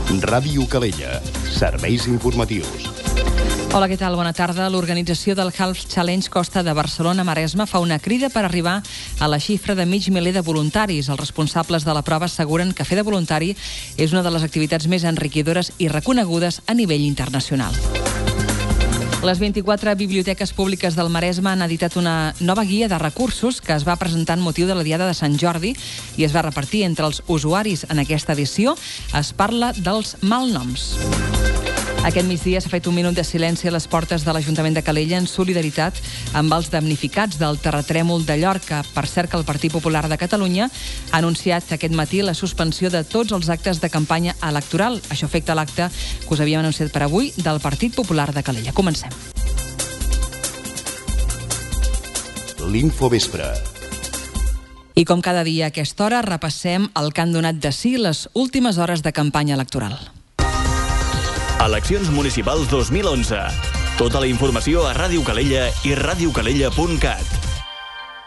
Ràdio Calella. Serveis informatius. Hola, què tal? Bona tarda. L'organització del Half Challenge Costa de Barcelona-Maresme fa una crida per arribar a la xifra de 500.000 de voluntaris. Els responsables de la prova asseguren que fer de voluntari és una de les activitats més enriquidores i reconegudes a nivell internacional. Les 24 biblioteques públiques del Maresme han editat una nova guia de recursos que es va presentar en motiu de la Diada de Sant Jordi i es va repartir entre els usuaris. En aquesta edició es parla dels malnoms. Aquest migdia s'ha fet un minut de silenci a les portes de l'Ajuntament de Calella en solidaritat amb els damnificats del terratrèmol de Llorca. Per cert que el Partit Popular de Catalunya ha anunciat aquest matí la suspensió de tots els actes de campanya electoral. Això afecta l'acte que us havíem anunciat per avui del Partit Popular de Calella. Comencem. L'Infovespre. I com cada dia a aquesta hora repassem el que han donat de si les últimes hores de campanya electoral. Eleccions municipals 2011. Tota la informació a Ràdio Calella i radiocalella.cat.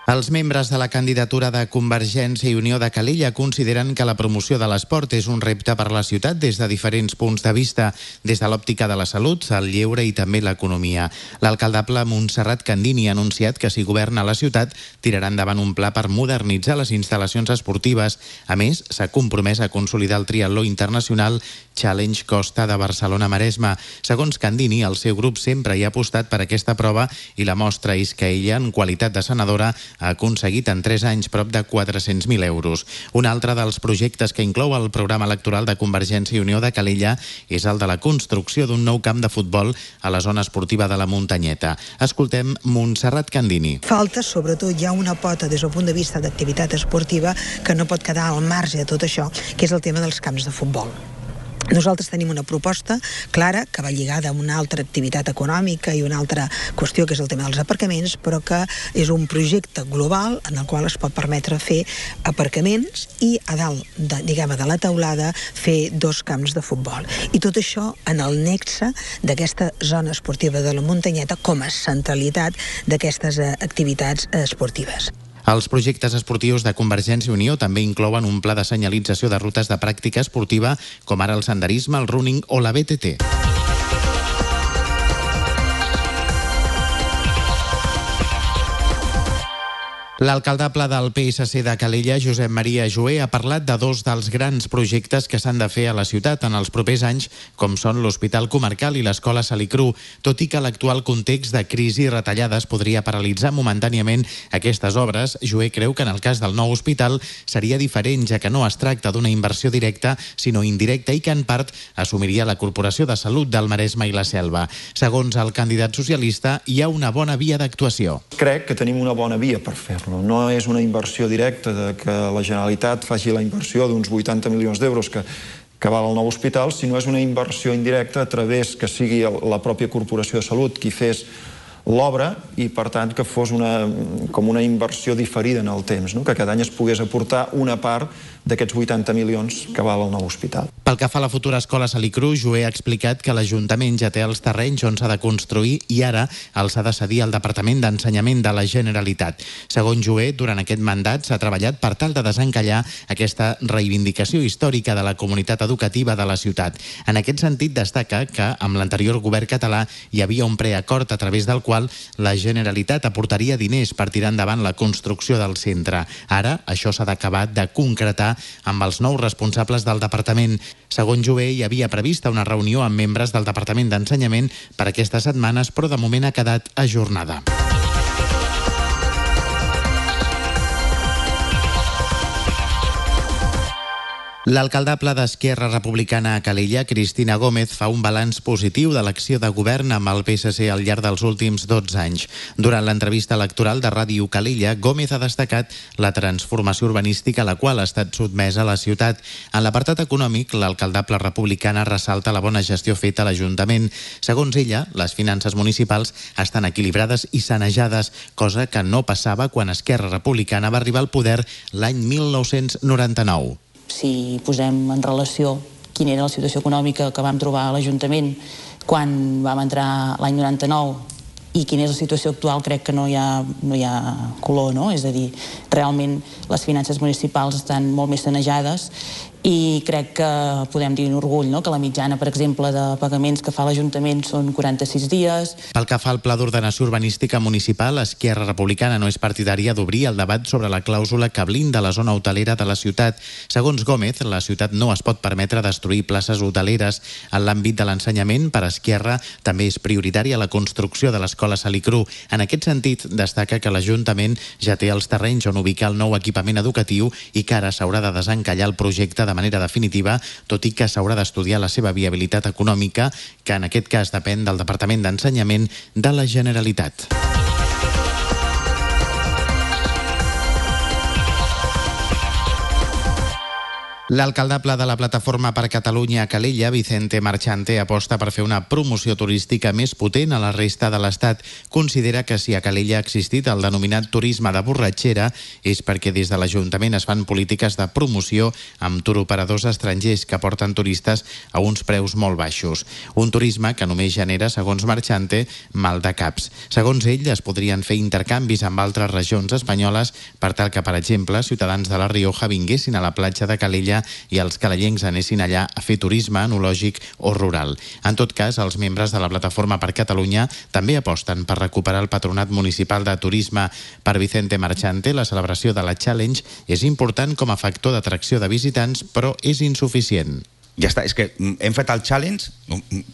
Els membres de la candidatura de Convergència i Unió de Calella consideren que la promoció de l'esport és un repte per la ciutat des de diferents punts de vista, des de l'òptica de la salut, el lleure i també l'economia. L'alcaldable Montserrat Candini ha anunciat que si governa la ciutat tirarà endavant un pla per modernitzar les instal·lacions esportives. A més, s'ha compromès a consolidar el triatló internacional Challenge Costa de Barcelona-Maresme. Segons Candini, el seu grup sempre hi ha apostat per aquesta prova i la mostra és que ella, en qualitat de senadora, ha aconseguit en 3 anys prop de 400.000 euros. Un altre dels projectes que inclou el programa electoral de Convergència i Unió de Calella és el de la construcció d'un nou camp de futbol a la zona esportiva de la Muntanyeta. Escoltem Montserrat Candini. Falta, sobretot, ja una pota des del punt de vista d'activitat esportiva que no pot quedar al marge de tot això, que és el tema dels camps de futbol. Nosaltres tenim una proposta clara que va lligada a una altra activitat econòmica i una altra qüestió que és el tema dels aparcaments, però que és un projecte global en el qual es pot permetre fer aparcaments i a dalt de la teulada fer 2 camps de futbol. I tot això en el nexe d'aquesta zona esportiva de la Muntanyeta com a centralitat d'aquestes activitats esportives. Els projectes esportius de Convergència i Unió també inclouen un pla de senyalització de rutes de pràctica esportiva, com ara el senderisme, el running o la BTT. L'alcaldable del PSC de Calella, Josep Maria Joé, ha parlat de 2 dels grans projectes que s'han de fer a la ciutat en els propers anys, com són l'Hospital Comarcal i l'Escola Salicru. Tot i que l'actual context de crisi i retallades podria paralitzar momentàniament aquestes obres, Joé creu que en el cas del nou hospital seria diferent, ja que no es tracta d'una inversió directa, sinó indirecta i que en part assumiria la Corporació de Salut del Maresme i la Selva. Segons el candidat socialista, hi ha una bona via d'actuació. Crec que tenim una bona via per fer-ho. No és una inversió directa de que la Generalitat faci la inversió d'uns 80 milions d'euros que val el nou hospital, sinó és una inversió indirecta a través que sigui la pròpia Corporació de Salut qui fes l'obra i, per tant, que fos com una inversió diferida en el temps, no? Que cada any es pogués aportar una part d'aquests 80 milions que val el nou hospital. Pel que fa a la futura escola Salicru, Joé ha explicat que l'Ajuntament ja té els terrenys on s'ha de construir i ara els ha de cedir al Departament d'Ensenyament de la Generalitat. Segons Joé, durant aquest mandat s'ha treballat per tal de desencallar aquesta reivindicació històrica de la comunitat educativa de la ciutat. En aquest sentit, destaca que amb l'anterior govern català hi havia un preacord a través del qual la Generalitat aportaria diners per tirar endavant la construcció del centre. Ara, això s'ha d'acabar de concretar amb els nous responsables del departament. Segons Joé, hi havia prevista una reunió amb membres del Departament d'Ensenyament per aquestes setmanes, però de moment ha quedat ajornada. L'alcaldable d'Esquerra Republicana a Calella, Cristina Gómez, fa un balanç positiu de l'acció de govern amb el PSC al llarg dels últims 12 anys. Durant l'entrevista electoral de Ràdio Calella, Gómez ha destacat la transformació urbanística a la qual ha estat sotmesa la ciutat. En l'apartat econòmic, l'alcaldable republicana ressalta la bona gestió feta a l'Ajuntament. Segons ella, les finances municipals estan equilibrades i sanejades, cosa que no passava quan Esquerra Republicana va arribar al poder l'any 1999. Si posem en relació quina era la situació econòmica que vam trobar a l'Ajuntament quan vam entrar l'any 99 i quina és la situació actual, crec que no hi ha color, no? És a dir, realment les finances municipals estan molt més sanejades i crec que podem dir un orgull, no?, que la mitjana, per exemple, de pagaments que fa l'Ajuntament són 46 dies. Pel que fa al Pla d'Ordenació Urbanística Municipal, Esquerra Republicana no és partidària d'obrir el debat sobre la clàusula que blinda la zona hotelera de la ciutat. Segons Gómez, la ciutat no es pot permetre destruir places hoteleres. En l'àmbit de l'ensenyament, per Esquerra, també és prioritària la construcció de l'escola Salicru. En aquest sentit, destaca que l'Ajuntament ja té els terrenys on ubicar el nou equipament educatiu i que ara s'haurà de desencallar el projecte de manera definitiva, tot i que s'haurà d'estudiar la seva viabilitat econòmica, que en aquest cas depèn del Departament d'Ensenyament de la Generalitat. L'alcaldable de la Plataforma per Catalunya a Calella, Vicente Marchante, aposta per fer una promoció turística més potent a la resta de l'Estat. Considera que si a Calella ha existit el denominat turisme de borratxera és perquè des de l'Ajuntament es fan polítiques de promoció amb turoperadors estrangers que porten turistes a uns preus molt baixos. Un turisme que només genera, segons Marchante, mal de caps. Segons ell, es podrien fer intercanvis amb altres regions espanyoles per tal que, per exemple, ciutadans de la Rioja vinguessin a la platja de Calella i els calellencs anessin allà a fer turisme enològic o rural. En tot cas, els membres de la Plataforma per Catalunya també aposten per recuperar el Patronat Municipal de Turisme. Per Vicente Marchante, la celebració de la Challenge és important com a factor d'atracció de visitants, però és insuficient. Ja està, és que hem fet el challenge,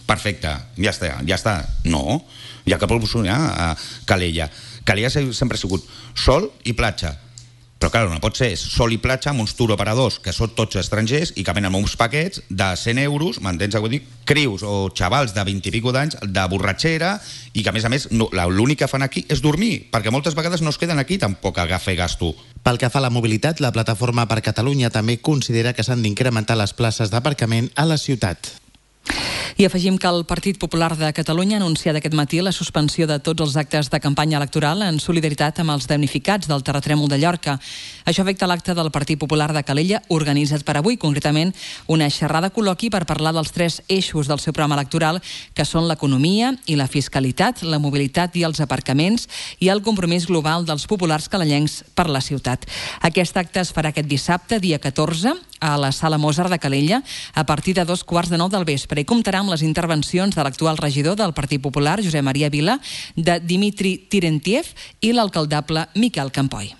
perfecte, ja està. No, hi ha que promocionar a Calella. Calella sempre ha sigut sol i platja. Però, clar, no pot ser sol i platja amb uns turoperadors que són tots estrangers i que venen amb uns paquets de 100 euros, m'entens? Vull dir, crius o xavals de 20 i pico d'anys de borratxera i que, a més, l'únic que fan aquí és dormir, perquè moltes vegades no es queden aquí tampoc a fer gasto. Pel que fa a la mobilitat, la Plataforma per Catalunya també considera que s'han d'incrementar les places d'aparcament a la ciutat. I afegim que el Partit Popular de Catalunya ha anunciat aquest matí la suspensió de tots els actes de campanya electoral en solidaritat amb els damnificats del terratrèmol de Llorca. Això afecta l'acte del Partit Popular de Calella, organitzat per avui, concretament una xerrada col·loqui per parlar dels 3 eixos del seu programa electoral, que són l'economia i la fiscalitat, la mobilitat i els aparcaments, i el compromís global dels populars calellencs per la ciutat. Aquest acte es farà aquest dissabte, dia 14, a la Sala Mozart de Calella, a partir de 2:15 del vespre, i comptarà amb les intervencions de l'actual regidor del Partit Popular, Josep Maria Vila, de Dimitri Tirentiev i l'alcaldable Miquel Campoy.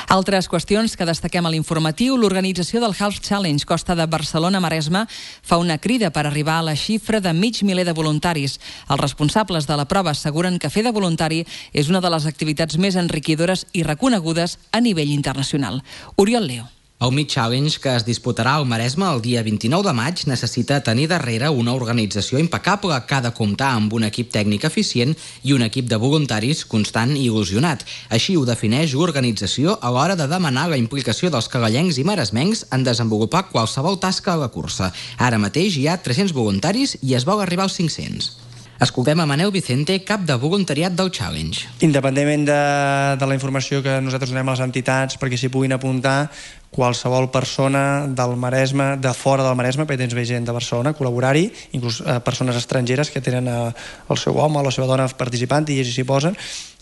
Altres qüestions que destaquem a l'informatiu. L'organització del Half Challenge Costa de Barcelona-Maresme fa una crida per arribar a la xifra de 500.000 de voluntaris. Els responsables de la prova asseguren que fer de voluntari és una de les activitats més enriquidores i reconegudes a nivell internacional. Oriol Leo. El Mid Challenge, que es disputarà al Maresme el dia 29 de maig, necessita tenir darrere una organització impecable que ha de comptar amb un equip tècnic eficient i un equip de voluntaris constant i il·lusionat. Així ho defineix l'organització a l'hora de demanar la implicació dels calellencs i maresmencs en desenvolupar qualsevol tasca a la cursa. Ara mateix hi ha 300 voluntaris i es vol arribar als 500. Escoltem a Manel Vicente, cap de voluntariat del Challenge. Independentment de la informació que nosaltres donem a les entitats perquè s'hi puguin apuntar, qualsevol persona del Maresme, de fora del Maresme, perquè tens gent de Barcelona, col·laborar-hi, inclús persones estrangeres que tenen el seu home o la seva dona participant i ells s'hi posen,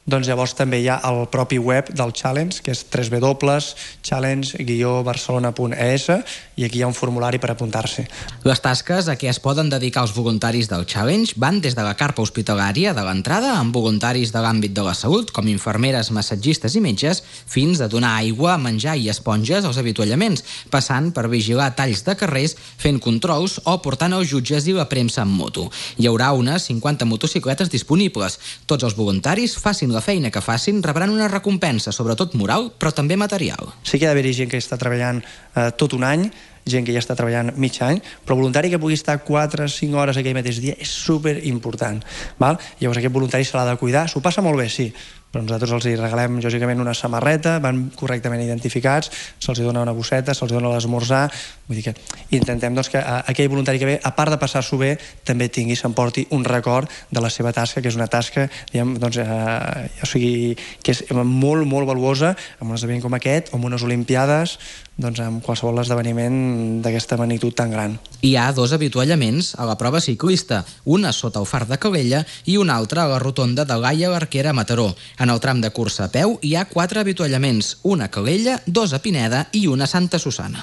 doncs llavors també hi ha el propi web del Challenge, que és www.challenge-barcelona.es, i aquí hi ha un formulari per apuntar-se. Les tasques a què es poden dedicar els voluntaris del Challenge van des de la carpa hospitalària de l'entrada, amb voluntaris de l'àmbit de la salut, com infermeres, massatgistes i metges, fins a donar aigua, menjar i esponges als avituallaments, passant per vigilar talls de carrers, fent controls o portant els jutges i la premsa en moto. Hi haurà unes 50 motocicletes disponibles. Tots els voluntaris, facin la feina que facin, rebran una recompensa, sobretot moral, però també material. Sí que ha d'haver-hi gent que està treballant tot un any, gent que ja està treballant mig any, però voluntari que pugui estar 4 o 5 hores aquell mateix dia és superimportant. Llavors aquest voluntari se l'ha de cuidar, s'ho passa molt bé, sí, però nosaltres els regalem lògicament una samarreta, van correctament identificats, se'ls dona una bosseta, se'ls dona l'esmorzar, vull dir que intentem que aquell voluntari que ve, a part de passar-s'ho bé, també s'emporti un record de la seva tasca, que és una tasca que és molt, molt valuosa, amb un esdeveniment com aquest, o amb unes olimpiades, amb qualsevol esdeveniment d'aquesta magnitud tan gran. Hi ha 2 avituallaments a la prova ciclista, una sota el far de Calella i una altra a la rotonda de Gaia l'Arquera a Mataró. En En el tram de cursa a peu hi ha 4 avituallaments, una a Calella, 2 a Pineda i una a Santa Susanna.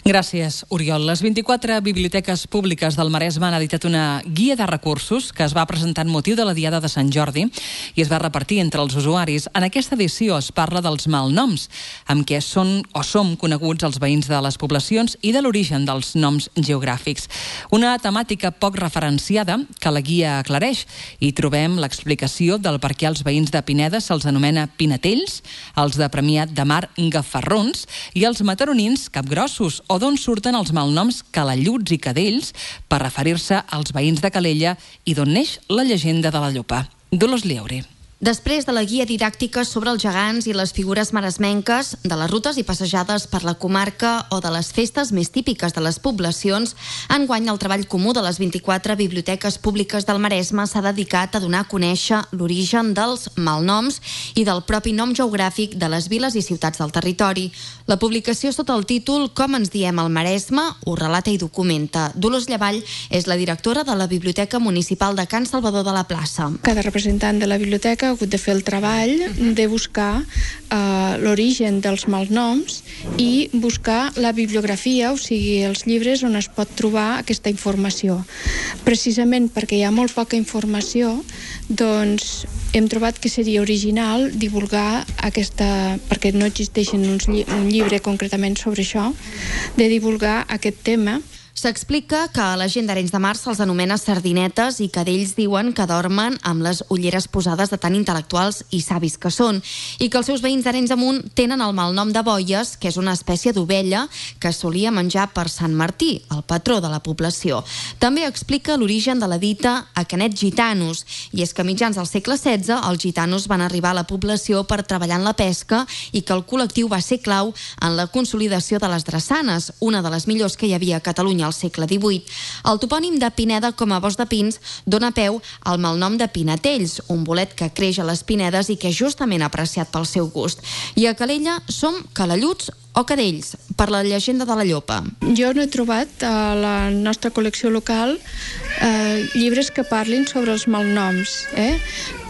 Gràcies, Oriol. Les 24 biblioteques públiques del Maresme han editat una guia de recursos que es va presentar en motiu de la Diada de Sant Jordi i es va repartir entre els usuaris. En aquesta edició es parla dels malnoms, amb què són o som coneguts els veïns de les poblacions i de l'origen dels noms geogràfics. Una temàtica poc referenciada que la guia aclareix. Hi trobem l'explicació del per què els veïns de Pineda se'ls anomena pinetells, els de Premià de Mar gafarrons i els mataronins capgrossos, o d'on surten els malnoms calalluts i cadells per referir-se als veïns de Calella i d'on neix la llegenda de la Llopa. Dolors Lieure. Després de la guia didàctica sobre els gegants i les figures maresmenques, de les rutes i passejades per la comarca o de les festes més típiques de les poblacions, enguany el treball comú de les 24 biblioteques públiques del Maresme s'ha dedicat a donar a conèixer l'origen dels malnoms i del propi nom geogràfic de les viles i ciutats del territori. La publicació sota el títol Com ens diem al Maresme ho relata i documenta. Dolors Llavall és la directora de la Biblioteca Municipal de Can Salvador de la Plaça. Cada representant de la biblioteca ha hagut de fer el treball de buscar l'origen dels malnoms i buscar la bibliografia, o sigui, els llibres on es pot trobar aquesta informació. Precisament perquè hi ha molt poca informació, doncs hem trobat que seria original divulgar aquesta, perquè no existeix un llibre concretament sobre això, de divulgar aquest tema. S'explica que a la gent d'Arenys de Mar se'ls anomena sardinetes i que d'ells diuen que dormen amb les ulleres posades de tan intel·lectuals i savis que són, i que els seus veïns d'Arenys de Munt tenen el malnom de boies, que és una espècie d'ovella que es solia menjar per Sant Martí, el patró de la població. També explica l'origen de la dita a Canet gitanos, i és que a mitjans del segle XVI els gitanos van arribar a la població per treballar en la pesca i que el col·lectiu va ser clau en la consolidació de les drassanes, una de les millors que hi havia a Catalunya al segle XVIII. El topònim de Pineda com a bosc de pins dona peu al malnom de pinetells, un bolet que creix a les pinedes i que és justament apreciat pel seu gust. I a Calella som calalluts o cadells, per la llegenda de la Llopa. Jo no he trobat a la nostra col·lecció local llibres que parlin sobre els malnoms,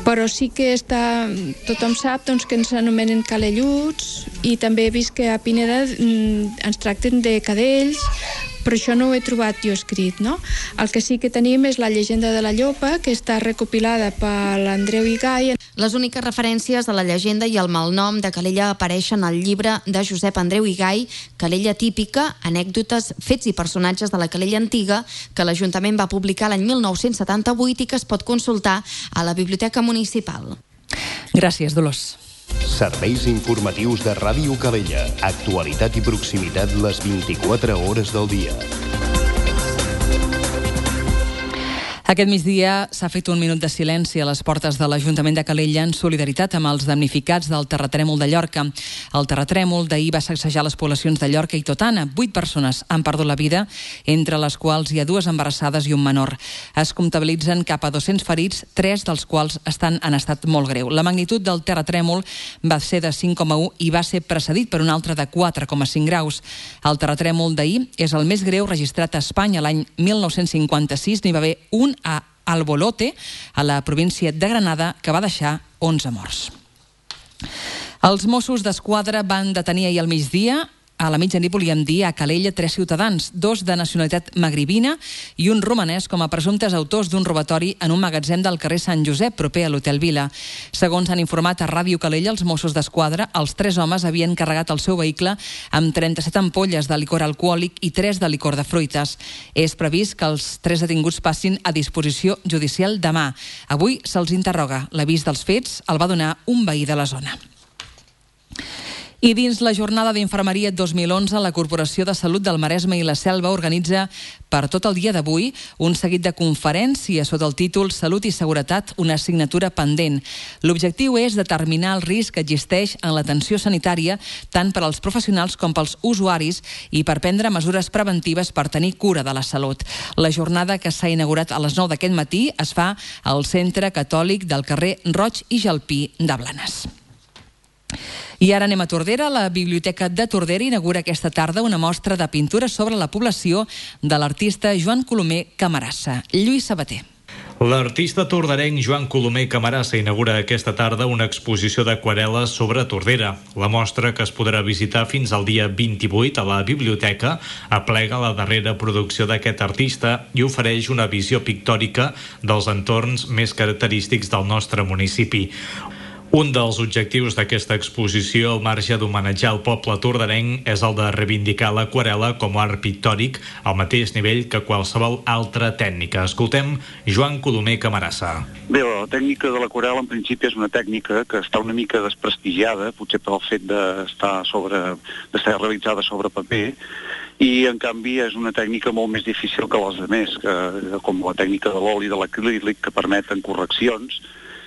però sí que tothom sap doncs, que ens anomenen calalluts i també he vist que a Pineda ens tracten de cadells, però això no ho he trobat jo escrit, no? El que sí que tenim és la llegenda de la Llopa, que està recopilada per l'Andreu i Gai. Les úniques referències a la llegenda i al malnom de Calella apareixen al llibre de Josep Andreu i Gai, Calella típica, anècdotes, fets i personatges de la Calella antiga, que l'Ajuntament va publicar l'any 1978 i que es pot consultar a la Biblioteca Municipal. Gràcies, Dolors. Serveis informatius de Ràdio Calella. Actualitat i proximitat les 24 hores del dia. Aquest migdia s'ha fet un minut de silenci a les portes de l'Ajuntament de Calella en solidaritat amb els damnificats del terratrèmol de Llorca. El terratrèmol d'ahir va sacsejar les poblacions de Llorca i Totana. 8 persones han perdut la vida, entre les quals hi ha 2 embarassades i un menor. Es comptabilitzen cap a 200 ferits, 3 dels quals estan en estat molt greu. La magnitud del terratrèmol va ser de 5,1 i va ser precedit per un altre de 4,5 graus. El terratrèmol d'ahir és el més greu registrat a Espanya. L'any 1956 n'hi va haver un a Albolote, a la província de Granada, que va deixar 11 morts. Els Mossos d'Esquadra van detenir ahir al migdia, a la mitjanit volíem dir, a Calella 3 ciutadans, 2 de nacionalitat magribina i un romanès com a presumptes autors d'un robatori en un magatzem del carrer Sant Josep, proper a l'Hotel Vila. Segons han informat a Ràdio Calella, els Mossos d'Esquadra, els 3 homes havien carregat el seu vehicle amb 37 ampolles de licor alcohòlic i 3 de licor de fruites. És previst que els 3 detinguts passin a disposició judicial demà. Avui se'ls interroga. L'avís dels fets el va donar un veí de la zona. I dins la jornada d'Infermeria 2011, la Corporació de Salut del Maresme i la Selva organitza per tot el dia d'avui un seguit de conferències sota el títol Salut i Seguretat, una assignatura pendent. L'objectiu és determinar el risc que existeix en l'atenció sanitària tant per als professionals com pels usuaris i per prendre mesures preventives per tenir cura de la salut. La jornada, que s'ha inaugurat a les 9 d'aquest matí, es fa al Centre Catòlic del carrer Roig i Jalpí de Blanes. I ara anem a Tordera. La Biblioteca de Tordera inaugura aquesta tarda una mostra de pintura sobre la població de l'artista Joan Colomer Camarassa. Lluís Sabater. L'artista torderenc Joan Colomer Camarasa inaugura aquesta tarda una exposició d'aquarel·les sobre Tordera. La mostra, que es podrà visitar fins al dia 28 a la biblioteca, aplega la darrera producció d'aquest artista i ofereix una visió pictòrica dels entorns més característics del nostre municipi. Un dels objectius d'aquesta exposició, al marge d'homenatjar el poble torderenc, és el de reivindicar l'aquarel·la com a art pictòric al mateix nivell que qualsevol altra tècnica. Escoltem Joan Colomer Camarasa. Bé, la tècnica de l'aquarel·la en principi és una tècnica que està una mica desprestigiada, potser pel fet d'estar realitzada sobre paper, i en canvi és una tècnica molt més difícil que les altres, com la tècnica de l'oli de l'acrílic, que permeten correccions.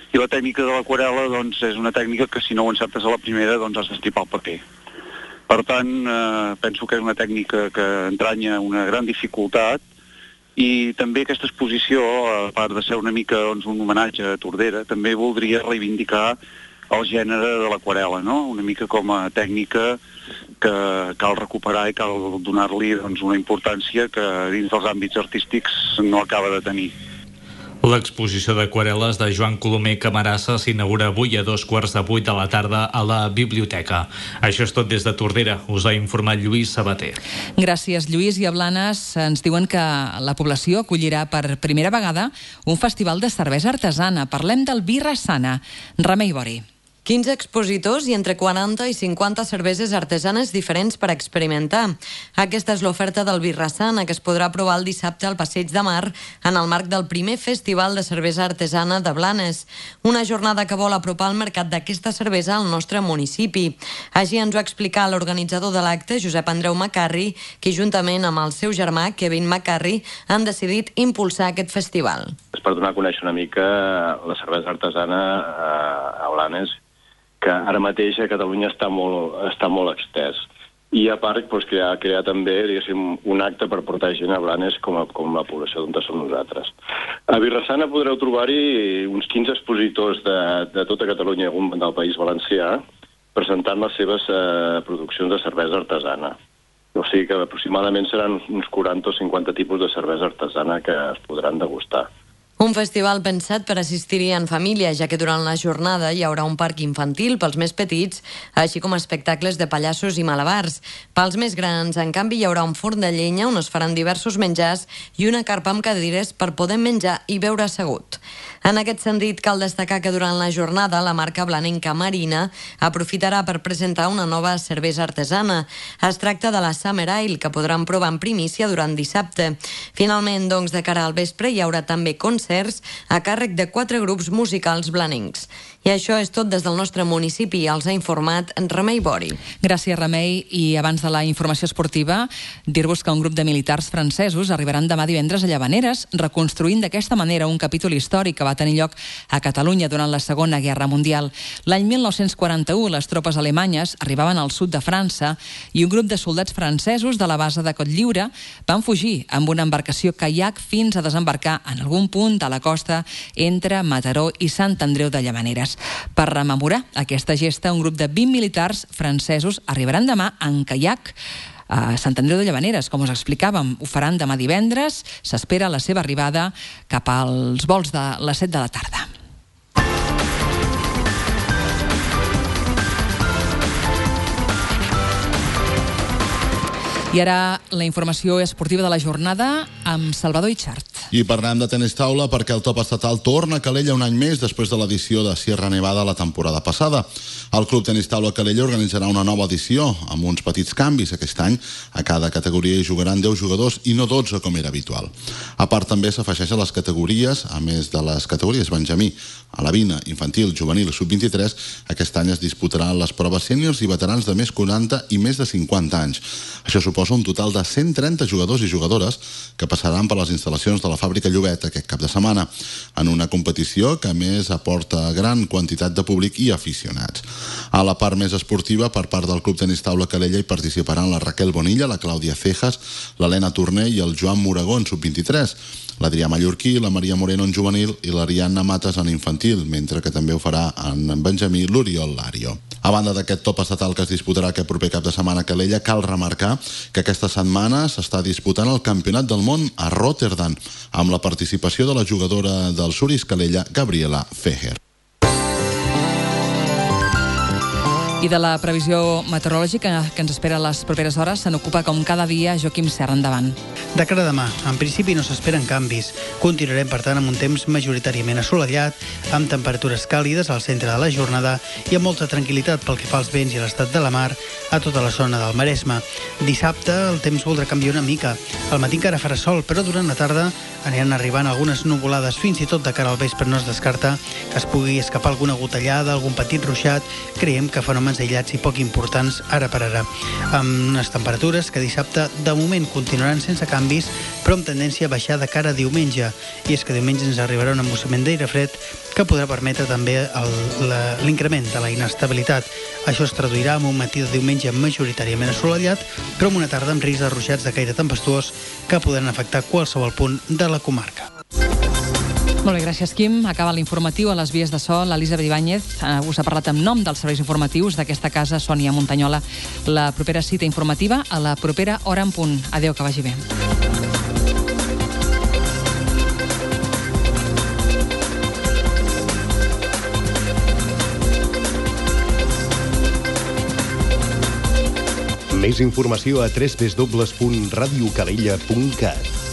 I la tècnica de l'aquarel·la, doncs, és una tècnica que si no ho encertes a la primera, doncs has d'estripar el paper. Per tant, penso que és una tècnica que entranya una gran dificultat, i també aquesta exposició, a part de ser una mica un homenatge a Tordera, també voldria reivindicar el gènere de l'aquarel·la, no? Una mica com a tècnica que cal recuperar i cal donar-li una importància que dins dels àmbits artístics no acaba de tenir. L'exposició d'aquarel·les de Joan Colomer Camarasa s'inaugura avui a 7:15 de la tarda a la biblioteca. Això és tot des de Tordera. Us ha informat Lluís Sabater. Gràcies, Lluís. I a Blanes ens diuen que la població acollirà per primera vegada un festival de cervesa artesana. Parlem del Birra Sana. Remei Bori. 15 expositors i entre 40 i 50 cerveses artesanes diferents per experimentar. Aquesta és l'oferta del Birra Sana, que es podrà provar el dissabte al Passeig de Mar en el marc del primer Festival de Cervesa Artesana de Blanes. Una jornada que vol apropar el mercat d'aquesta cervesa al nostre municipi. Així ens ho ha explicat l'organitzador de l'acte, Josep Andreu Macarri, que juntament amb el seu germà, Kevin Macarri, han decidit impulsar aquest festival. És per donar a conèixer una mica la cervesa artesana a Blanes, que ara mateix a Catalunya està molt extès. I a part, crear també, diguéssim, un acte per portar gent a Blanes com la població d'on som nosaltres. A Birra Sana podreu trobar-hi uns 15 expositors de tota Catalunya i algun del País Valencià presentant les seves produccions de cervesa artesana. O sigui que aproximadament seran uns 40 o 50 tipus de cervesa artesana que es podran degustar. Un festival pensat per assistir-hi en família, ja que durant la jornada hi haurà un parc infantil pels més petits, així com espectacles de pallassos i malabars. Pels més grans, en canvi, hi haurà un forn de llenya on es faran diversos menjars i una carpa amb cadires per poder menjar i beure assegut. En aquest sentit, cal destacar que durant la jornada la marca blanenca Marina aprofitarà per presentar una nova cervesa artesana. Es tracta de la Summer Ale, que podran provar en primícia durant dissabte. Finalment, doncs, de cara al vespre hi haurà també concerts a càrrec de 4 grups musicals blanencs. I això és tot des del nostre municipi. Els ha informat Remei Bori. Gràcies, Remei. I abans de la informació esportiva, dir-vos que un grup de militars francesos arribaran demà divendres a Llavaneres, reconstruint d'aquesta manera un capítol històric que va tenir lloc a Catalunya durant la Segona Guerra Mundial. L'any 1941, les tropes alemanyes arribaven al sud de França i un grup de soldats francesos de la base de Cotlliure van fugir amb una embarcació caiac fins a desembarcar en algun punt de la costa entre Mataró i Sant Andreu de Llavaneres. Per rememorar aquesta gesta, un grup de 20 militars francesos arribaran demà en caiac a Sant Andreu de Llavaneres, com us explicàvem. Ho faran demà divendres. S'espera la seva arribada cap als vols de les 7 de la tarda. I ara la informació esportiva de la jornada amb Salvador Itxart. I parlem de tenis taula perquè el top estatal torna a Calella un any més després de l'edició de Sierra Nevada la temporada passada. El Club Tenis Taula Calella organitzarà una nova edició amb uns petits canvis. Aquest any a cada categoria hi jugaran 10 jugadors i no 12 com era habitual. A part també s'afegeixen les categories, a més de les categories Benjamí, alevina, infantil, juvenil, sub-23, aquest any es disputaran les proves sèniors i veterans de més 40 i més de 50 anys. Això suposa un total de 130 jugadors i jugadores que passaran per les instal·lacions de la fàbrica Llobet aquest cap de setmana, en una competició que a més aporta gran quantitat de públic i aficionats. A la part més esportiva, per part del Club Tenis Taula Calella hi participaran la Raquel Bonilla, la Clàudia Cejas, l'Helena Torner i el Joan Moragó en sub-23. l'Adrià Mallorquí, la Maria Moreno en juvenil i l'Ariadna Mates en infantil, mentre que també ho farà en Benjamí l'Oriol Lario. A banda d'aquest top estatal que es disputarà aquest proper cap de setmana a Calella, cal remarcar que aquesta setmana s'està disputant el Campionat del Món a Rotterdam, amb la participació de la jugadora del Suris Calella, Gabriela Feher. I de la previsió meteorològica que ens espera a les properes hores se n'ocupa com cada dia Joaquim Serra. Endavant. De cara a demà, en principi no s'esperen canvis. Continuarem, per tant, amb un temps majoritàriament assolellat, amb temperatures càlides al centre de la jornada i amb molta tranquil·litat pel que fa als vents i l'estat de la mar a tota la zona del Maresme. Dissabte el temps voldrà canviar una mica. Al matí encara farà sol, però durant la tarda aniran arribant algunes nuvolades, fins i tot de cara al vespre no es descarta que es pugui escapar alguna gotellada, algun petit ruixat. Creiem que fenòmens aïllats i poc importants ara per ara. Amb unes temperatures que dissabte de moment continuaran sense canvis, però amb tendència a baixar de cara a diumenge. I és que diumenge ens arribarà un embossament d'aire fred que podrà permetre també l'increment de la inestabilitat. Això es traduirà en un matí de diumenge majoritàriament assolellat, però amb una tarda amb risc de ruixats de caire tempestuós que podran afectar qualsevol punt de la comarca. Molt bé, gràcies, Quim. Acaba l'informatiu a les vies de so. L'Elisabet Ibáñez us ha parlat en nom dels serveis informatius d'aquesta casa, Sònia Montanyola. La propera cita informativa a la propera hora en punt. Adéu, que vagi bé. Més informació a www.radiocalella.cat.